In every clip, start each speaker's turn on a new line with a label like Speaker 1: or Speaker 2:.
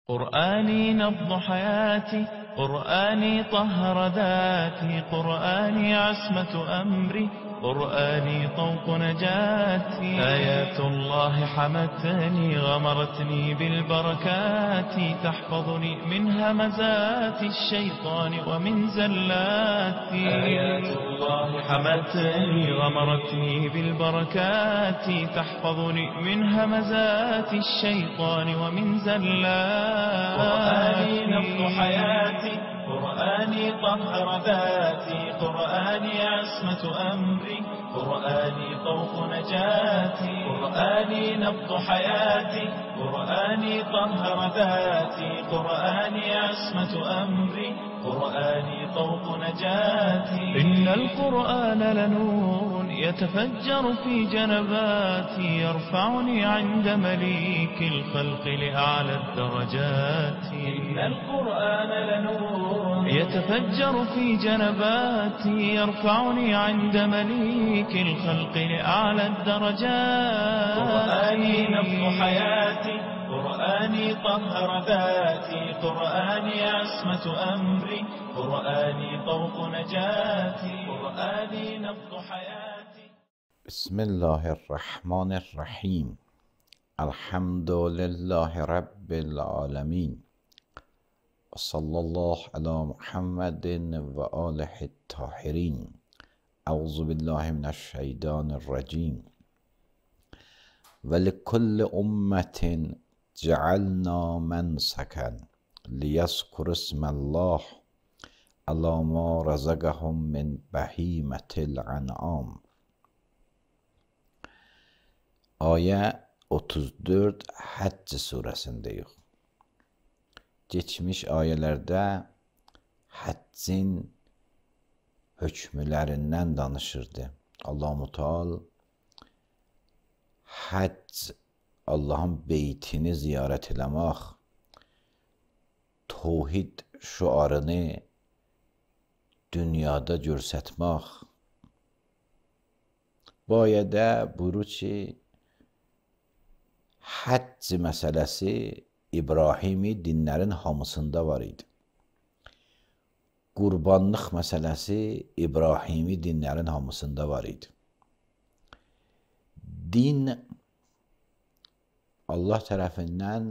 Speaker 1: قرآني نبض حياتي، قرآني طهر ذاتي، قرآني عصمة أمري، قرآني طوق نجاتي. آيات الله حمتني غمرتني بالبركات، تحفظني من همزات الشيطان ومن زلاتي. آيات الله حمتني غمرتني بالبركات، تحفظني من همزات الشيطان ومن زلاتي. قرآني نبض حياتي، قرآني طهر ذاتي، قرآني عصمة أمري، قرآني طوق نجاتي. قرآني نبض حياتي، قرآني طهر ذاتي، قرآني عصمة أمري، قرآني طوق نجاتي. إن القرآن لنور يتفجر في جنباتي، يرفعني عند مليك الخلق لأعلى الدرجات. إن القرآن لنور يتفجر في جنباتي، يرفعني عند مليك الخلق لأعلى الدرجات. قرآني نبض حياتي، قرآني طهر ذاتي، قرآني عصمة أمري، قرآني طوق نجاتي. قرآني نبض حياتي.
Speaker 2: بسم الله الرحمن الرحیم. الحمد لله رب العالمین و صلی الله علی محمد و آله الطاهرین. اعوذ بالله من الشیطان الرجیم. ولکل امة جعلنا منسکا لیذکروا اسم الله علی ما رزقهم من بهیمة الانعام. Ayə 34 Həcc surəsindəyik. Geçmiş ayələrdə həccin hökmlərindən danışırdı. Allah-u Teala həcc, Allahın beytini ziyarət eləmək, tövhid şüarını dünyada göstərmək. Bu ayədə buyurur ki, həcc məsələsi İbrahimi dinlərin hamısında var idi. Qurbanlıq məsələsi İbrahimi dinlərin hamısında var idi. Din Allah tərəfindən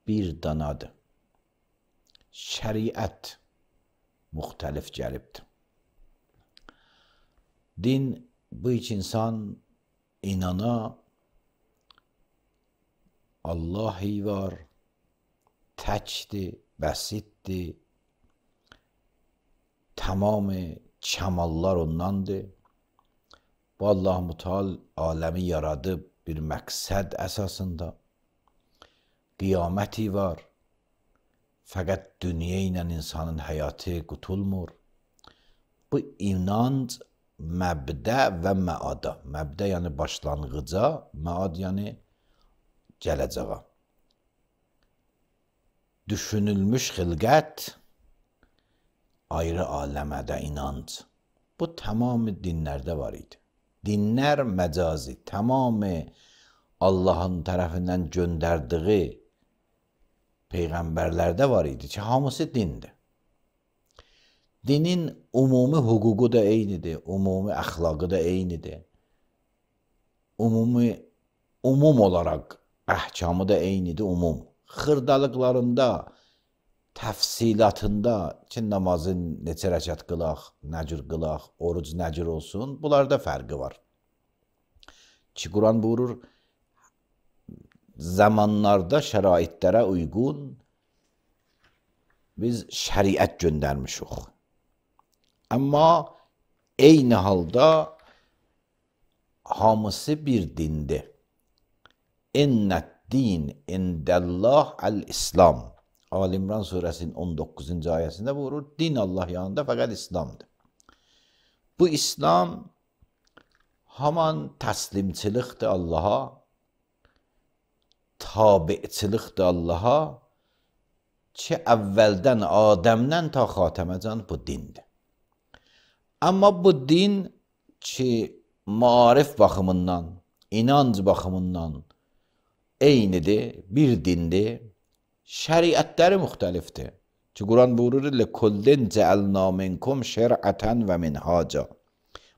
Speaker 2: bir danadır. Şəriət müxtəlif gəlibdir. Din bu iki insan inana Allahi var, təkdir, bəsitdir, tamamı kəmallar ondandır. Bu Allah-u Teala aləmi yaradıb bir məqsəd əsasında. Qiyaməti var, fəqət dünya ilə insanın həyatı qutulmur. Bu inanc məbdə və məada. Məbdə yəni başlanğıca, məad yəni gələcəyə. Düşünülmüş xilqət, ayrı aləmədə inanc. Bu tamamı dinlərdə var idi. Dinlər məcazi, tamamı Allahın tərəfindən göndərdiyi peyğəmbərlərdə var idi ki, hamısı dindir. Dinin ümumi hüququ da eynidir, ümumi əxlaqı da eynidir. Umum olaraq əhkamı da eynidir, umum. Xırdalıqlarında, təfsilatında ki, namazı neçə rəkat qılaq, nə cür qılaq, oruc nə cür olsun, bunlarda fərqi var. Ki, Quran buyurur, zamanlarda şəraitlərə uyğun biz şəriət göndərmişik. Amma eyni halda hamısı bir dindir. İnnət din indəllah əl-İslam. Ali-İmran surəsinin 19-cu ayəsində buyurur, din Allah yanında fəqət İslamdır. Bu İslam haman təslimçilikdir Allaha, tabiçilikdir Allaha ki, əvvəldən Adəmdən ta Xatəməcan bu dindir. Amma bu din ki, maarif baxımından, inanc baxımından eynidir, bir dindir. şəriətləri müxtəlifdir. Ki Quran buyurur: "Likullin cəalna minkum şer'atan və minhaca."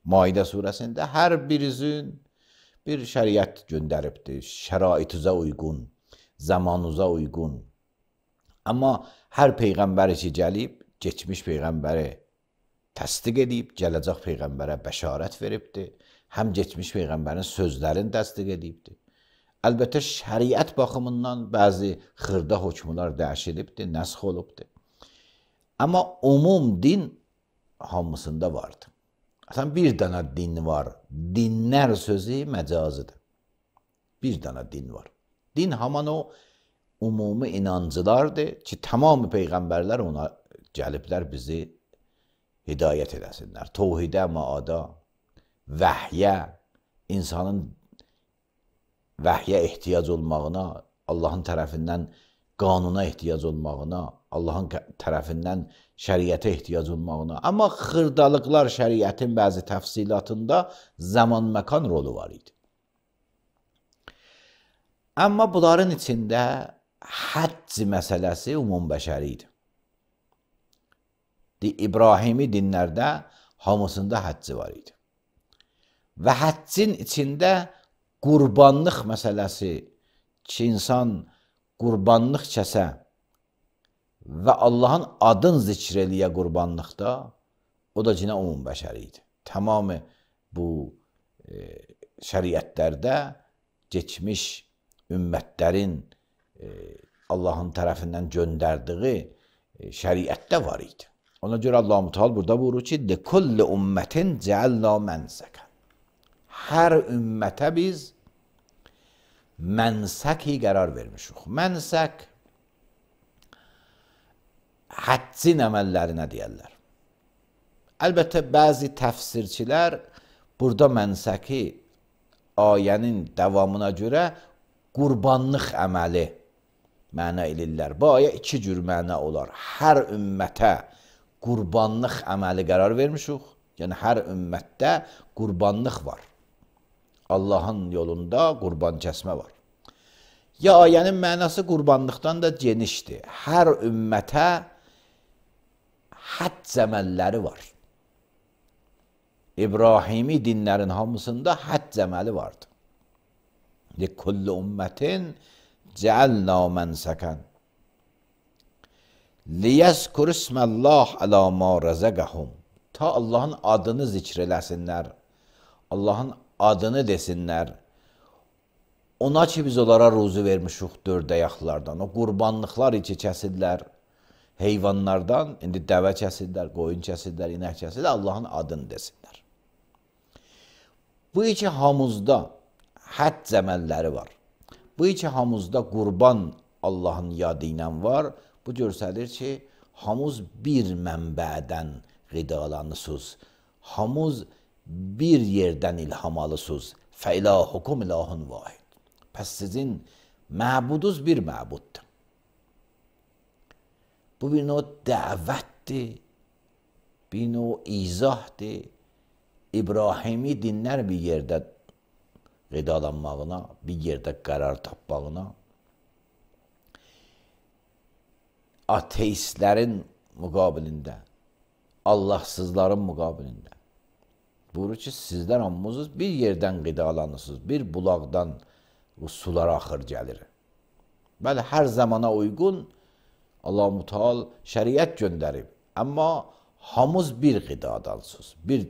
Speaker 2: Maidə surəsində hər birinizin bir şəriət göndəribdir, şəraitinizə uyğun, zamanınıza uyğun. Amma hər peyğəmbər ki gəlib, keçmiş peyğəmbəri təsdiq edib, gələcək peyğəmbərə bəşarət veribdir. Həm keçmiş peyğəmbərin sözlərini təsdiq edibdir. Əlbəttə şəriət baxımından bəzi xırda hökmlər dəyişilibdir, nəsx olubdur. Amma umum din hamısında vardır. Aslında bir dənə din var. Dinlər sözü məcazıdır. Bir dənə din var. Din haman o umumi inancılardır ki, tamamı peyğəmbərlər ona gəliblər bizi hidayət edəsinlər. Tohidə, maada, vəhyə, insanın vəhyə ehtiyac olmağına, Allahın tərəfindən qanuna ehtiyac olmağına, Allahın tərəfindən şəriətə ehtiyac olmağına. Amma xırdalıqlar şəriətin bəzi təfsilatında zaman məkan rolu var idi. Amma bunların içində həcc məsələsi umumbəşəri idi. İbrahimi dinlərdə hamısında həcci var idi. Və həccin içində qurbanlıq məsələsi ki, insan qurbanlıq kəsə və Allahın adını zikr eləyə qurbanlıqda, o da yine umumbəşəri idi. Tamamı bu şəriətlərdə geçmiş ümmətlərin Allahın tərəfindən göndərdiyi şəriətdə var idi. Ona görə Allah-u Teala burada buyurur ki, "Likulli ummetin cealna mensaka." Hər ümmətə biz mənsəki qərar vermişik. Mənsək həccin əməllərinə deyərlər. Əlbəttə bəzi təfsirçilər burada mənsəki ayənin davamına görə qurbanlıq əməli məna elirlər. Bu ayə iki cür məna olar. Hər ümmətə qurbanlıq əməli qərar vermişik. Yəni hər ümmətdə qurbanlıq var. Allahın yolunda qurban kəsmə var. Ya ayənin mənası qurbanlıqdan da genişdir. Hər ümmətə həcc əməlləri var. İbrahimi dinlərin hamısında həcc əməli vardı. Likulli ummetin cealna mensakan liyezkur ismallah ala ma razaqahum. Ta Allahın adını zikr eləsinlər. Allahın adını desinlər. Ona ki biz onlara ruzu vermişik dörd ayaqlardan. O qurbanlıqlar içi kəsillər. Heyvanlardan, indi dəvə kəsillər, qoyun kəsillər, inək kəsillər, Allahın adını desinlər. Bu iki hamuzda həcc əməlləri var. Bu iki hamuzda qurban Allahın yadı ilə var. Bu göstərir ki, hamuz bir mənbədən qidalanısınız. Hamuz bir yerdən ilham alısınız. Fəilahukum ilahun vahid. Pəs sizin məbudunuz bir məbuddur. Bu bir növ dəvətdir, bir növ izahdır. İbrahimi dinlər bir yerdə qidalanmağına, bir yerdə qərar tapmağına, ateistlərin müqabilində, Allahsızların müqabilində. Buyurur ki, sizlər hamınız bir yerdən qidalanırsınız, bir bulaqdan sular axır gəlir. Bəli, hər zamana uyğun Allah-u Teala şəriət göndərib, amma hamız bir qidadansınız, bir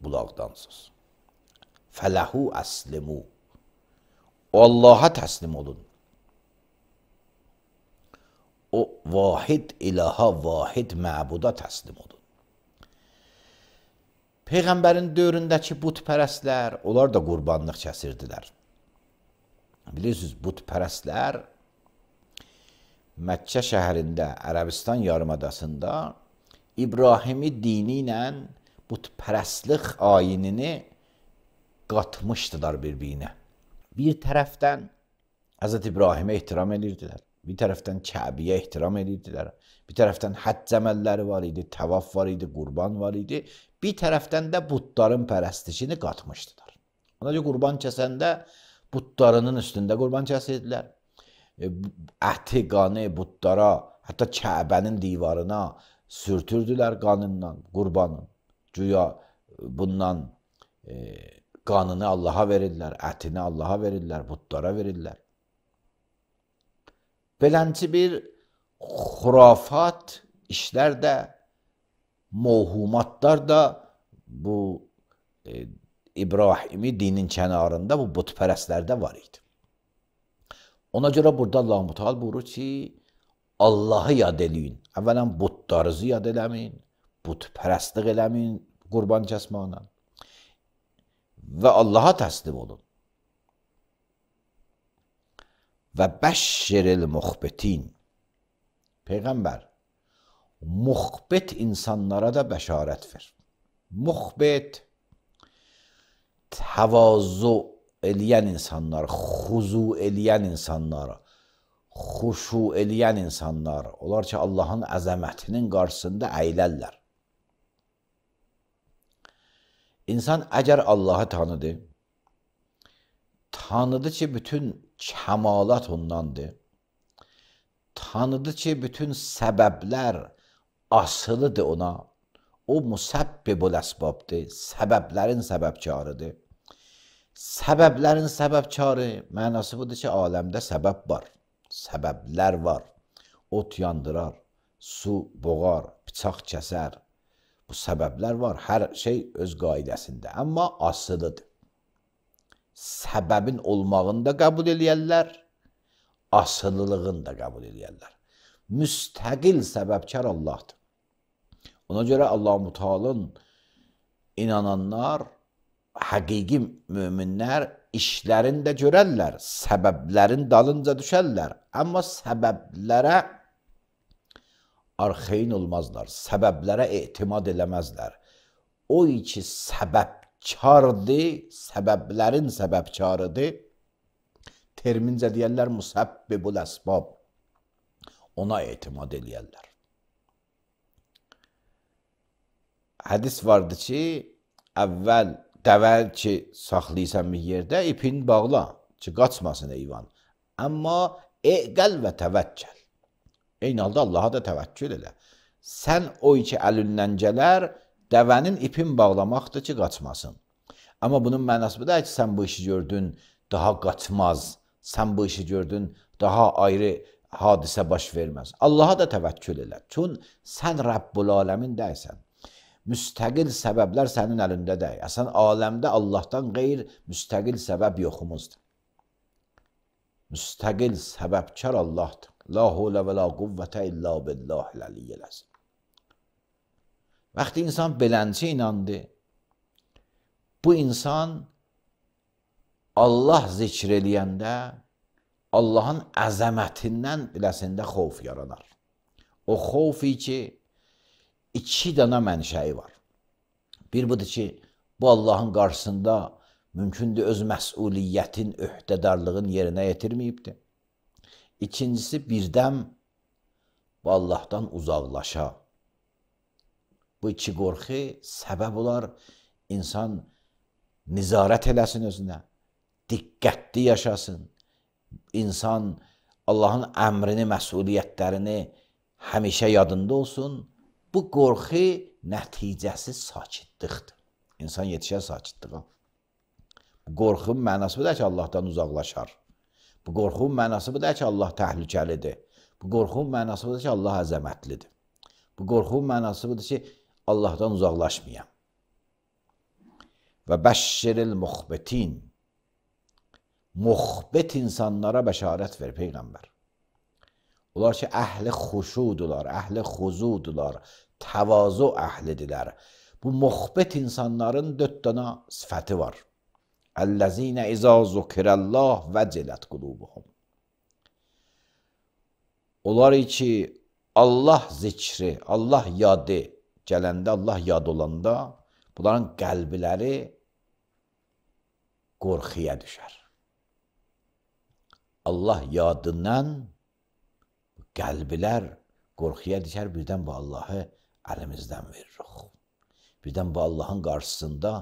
Speaker 2: bulaqdansınız. Fələhu əslimu. Allah'a təslim olun. O vahid ilaha, vahid məbuda təslim olun. Peyğəmbərin dövründəki butpərəstlər, onlar da qurbanlıq kəsirdilər. Bilirsiniz, butpərəstlər Məkkə şəhərində, Ərəbistan yarımadasında İbrahimi dini ilə butpərəstlik ayinini qatmışdılar bir-birinə. Bir tərəfdən Həzrət İbrahimə ehtiram edirdilər, bir tərəfdən Kəbiyə ehtiram edirdilər, bir tərəfdən həcc əməlləri var idi, təvaf var idi, qurban var idi, bir tərəfdən də butların pərəstişini qatmışdılar. Ona görə qurban kəsəndə butlarının üstündə qurban kəsirdilər. əti, qanı butlara, hətta Kəbənin divarına sürtürdülər qanından, qurbanın. Güya bundan qanını Allaha verirlər, ətini Allaha verirlər, butlara verirlər. Belənci bir xurafat işlər də, mövhumatlar da bu İbrahimi dinin kənarında bu butpərəstlərdə var idi. Ona görə burada Allah-u Teala buyurur ki, Allahı yad eləyin. Əvvələn butlarınızı yad eləməyin, butpərəstlik eləməyin qurban kəsməklə və Allaha təslim olun. Və bəşşiril muxbitin. Peyğəmbər muxbit insanlara da bəşarət ver. Muxbit təvazu eləyən insanlar, xuzu eləyən insanlar, xuşu eləyən insanlar, onlar ki Allahın əzəmətinin qarşısında əylərlər. İnsan əgər Allahı tanıdı ki bütün kəmalat ondandır, tanıdı ki bütün səbəblər asılıdır ona, o musabbibul əsbabdır, səbəblərin səbəbkarıdır. Səbəblərin səbəbkarı mənası budur ki, aləmdə səbəb var, səbəblər var. Ot yandırar, su boğar, bıçaq kəsər. Bu səbəblər var, hər şey öz qaidəsində, amma asılıdır. Səbəbin olmağını da qəbul eləyərlər, asılılığını da qəbul eləyərlər. Müstəqil səbəbkar Allahdır. Ona görə Allah-u Teala'nın inananlar, həqiqi möminlər işlərini də görərlər, səbəblərin dalınca düşərlər. Amma səbəblərə arxeyin olmazlar, səbəblərə etimad eləməzlər. O ki səbəbkardır, səbəblərin səbəbkarıdır, termincə deyərlər musabbibul əsbab, ona etimad eləyərlər. Hədis vardı ki, əvvəl dəvəl ki saxlayırsan bir yerdə, ipini bağla ki, qaçmasın eyvan. Amma eqəl və təvəkkəl. Eyni halda Allaha da təvəkkül elə. Sən o ki əlindən gələr, dəvənin ipin bağlamaqdır ki, qaçmasın. Amma bunun mənası bu da ki, sən bu işi gördün, daha qaçmaz. Sən bu işi gördün, daha ayrı hadisə baş verməz. Allaha da təvəkkül elə. Çünki sən Rəbbul aləmin deysən. Müstəqil səbəblər sənin əlində deyil. Əsən aləmdə Allahdan qeyr müstəqil səbəb yoxumuzdur. Müstəqil səbəbkar Allahdır. La hulə və la quvvətə illa billahil əliyyəl əzim. Vaxtı insan belənci inandı, bu insan Allah zikr eləyəndə Allahın əzəmətindən biləsində xovf yaranar. O xovfi ki, iki dana mənşəyi var. Bir budur ki, bu Allahın qarşısında mümkündür öz məsuliyyətin, öhdədarlığın yerinə yetirməyibdir. İkincisi, birdən bu Allahdan uzaqlaşa. Bu iki qorxu səbəb olar, insan nizarət eləsin özünə, diqqətli yaşasın, insan Allahın əmrini, məsuliyyətlərini həmişə yadında olsun. Bu qorxu nəticəsi sakitlikdir. İnsan yetişər sakitliyə. Bu qorxunun mənası budur ki, Allahdan uzaqlaşar. Bu qorxunun mənası budur ki, Allah təhlükəlidir. Bu qorxunun mənası budur ki, Allah əzəmətlidir. Bu qorxunun mənası budur ki, Allahdan uzaqlaşmayam. Və bəşşiril muxbitin. Muxbit insanlara bəşarət ver Peyğəmbər. Onlar ki, əhli xuşudular, əhli xuzudular, təvazu əhlidirlər. Bu muxbit insanların 4 dana sifəti var. Əl-ləzinə izə zukirəllah vəcilət qulubuhum. Onlar ki, Allah zikri, Allah yadı gələndə, Allah yad olanda, bunların qəlbləri qorxuya düşər. Allah yadından qəlblər qorxuya düşər, birdən bu Allahı əlimizdən veririk. Birdən bu Allahın qarşısında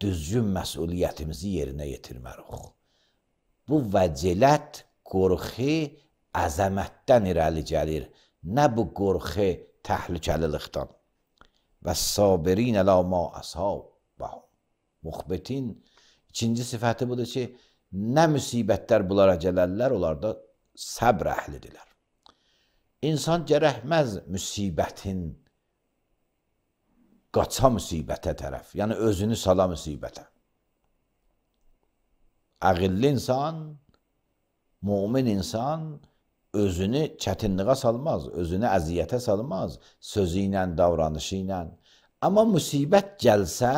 Speaker 2: düzgün məsuliyyətimizi yerinə yetirmərik. Bu vəcilət qorxu əzəmətdən irəli gəlir, nə bu qorxu təhlükəlilikdən. Və sabirin əla ma əsabəhum. Muxbitin ikinci sifəti budur ki, nə müsibətlər bunlara gələrlər, onlar da səbr əhlidirlər. İnsan gərəkməz müsibətin qaça müsibətə tərəf, yəni özünü sala müsibətə. Əqilli insan, mümin insan özünü çətinliğə salmaz, özünü əziyyətə salmaz, sözü ilə, davranışı ilə. Amma müsibət gəlsə,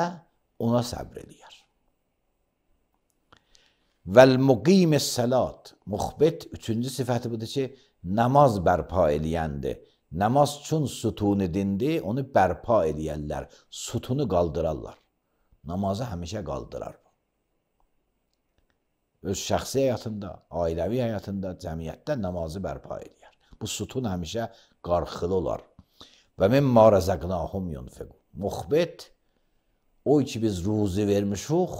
Speaker 2: ona səbr eləyər. Vəl-muqimis salat. Muxbit üçüncü sifəti budur ki, namaz bərpa eləyəndir. Namaz üçün sütunu dindir, onu bərpa eləyərlər, sütunu qaldırarlar. Namazı həmişə qaldırar. Öz şəxsi həyatında, ailəvi həyatında, cəmiyyətdə namazı bərpa eləyər. Bu sütun həmişə qarxılı olar. Və mimma rəzəqnahum yunfiqun. Muxbit, o ki biz ruzi vermişuq,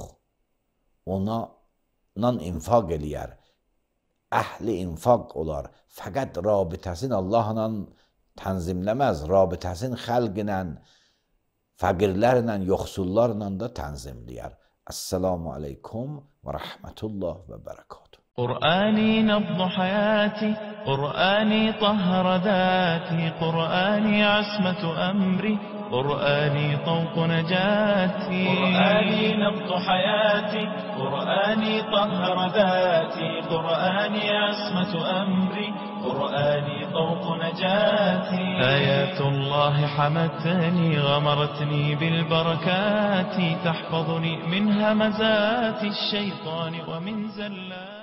Speaker 2: ondan infaq eləyər. Əhli infaq olar. Fəqət rabitəsini Allahla tənzimləməz, rabitəsini xəlq ilə, fəqirlərlə, yoxsullarla da tənzimləyər. Esselamu aleykum və rəhmətullah və bərəkatuhu.
Speaker 1: قرآني نبض حياتي قرآني طهر ذاتي قرآني عصمة أمري قرآني طوق نجاتي قرآني نبض حياتي قرآني طهر ذاتي قرآني عصمة أمري قرآني طوق نجاتي آيات الله حمتني غمرتني بالبركات تحفظني من همزات الشيطان ومن زلات